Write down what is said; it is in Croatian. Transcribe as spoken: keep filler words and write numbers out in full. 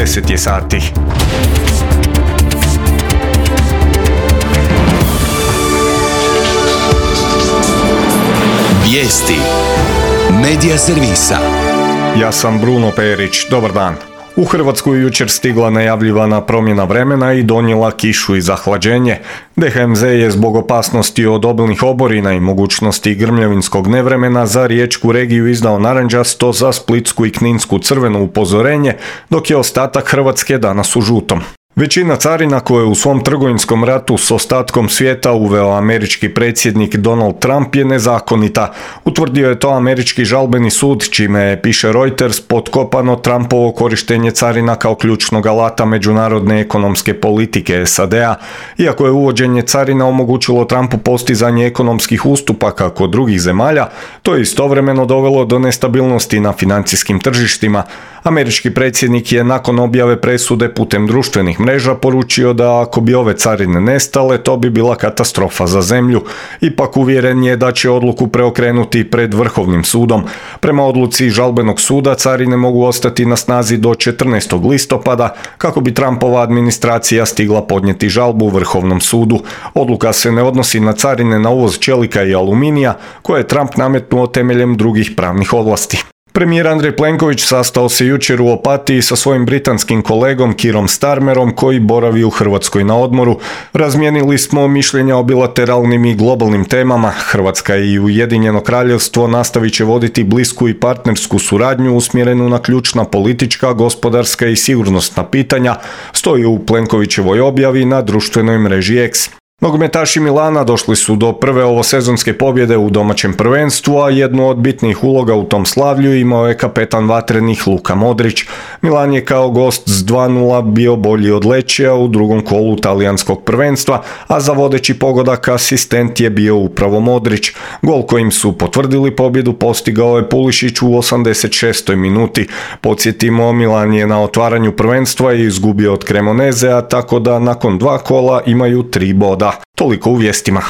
deset je sati. Vijesti Medija servisa. Ja sam Bruno Perić, dobar dan. U Hrvatsku je jučer stigla najavljivana promjena vremena i donijela kišu i zahlađenje. D H M Z je zbog opasnosti od obilnih oborina i mogućnosti grmljavinskog nevremena za riječku regiju izdao narančasto, za splitsku i kninsku crveno upozorenje, dok je ostatak Hrvatske danas u žutom. Većina carina koje je u svom trgovinskom ratu s ostatkom svijeta uveo američki predsjednik Donald Trump je nezakonita. Utvrdio je to američki žalbeni sud, čime je, piše Reuters, potkopano Trumpovo korištenje carina kao ključnog alata međunarodne ekonomske politike S A D A. Iako je uvođenje carina omogućilo Trumpu postizanje ekonomskih ustupaka kod drugih zemalja, to je istovremeno dovelo do nestabilnosti na financijskim tržištima. Američki predsjednik je nakon objave presude putem društvenih mreža poručio da ako bi ove carine nestale, to bi bila katastrofa za zemlju. Ipak uvjeren je da će odluku preokrenuti pred Vrhovnim sudom. Prema odluci žalbenog suda, carine mogu ostati na snazi do četrnaestog listopada, kako bi Trumpova administracija stigla podnijeti žalbu Vrhovnom sudu. Odluka se ne odnosi na carine na uvoz čelika i aluminija, koje je Trump nametnuo temeljem drugih pravnih ovlasti. Premijer Andrej Plenković sastao se jučer u Opatiji sa svojim britanskim kolegom Keerom Starmerom, koji boravi u Hrvatskoj na odmoru. Razmijenili smo mišljenja o bilateralnim i globalnim temama. Hrvatska i Ujedinjeno Kraljevstvo nastavit će voditi blisku i partnersku suradnju usmjerenu na ključna politička, gospodarska i sigurnosna pitanja, stoji u Plenkovićevoj objavi na društvenoj mreži X. Nogometaši Milana došli su do prve ovosezonske pobjede u domaćem prvenstvu, a jednu od bitnih uloga u tom slavlju imao je kapetan vatrenih Luka Modrić. Milan je kao gost s dva nula bio bolji od Lečija u drugom kolu talijanskog prvenstva, a za vodeći pogodak asistent je bio upravo Modrić. Gol kojim su potvrdili pobjedu postigao je Pulišić u osamdeset šestoj minuti. Podsjetimo, Milan je na otvaranju prvenstva i izgubio od Cremonezea, tako da nakon dva kola imaju tri boda. Toliko u vijestima.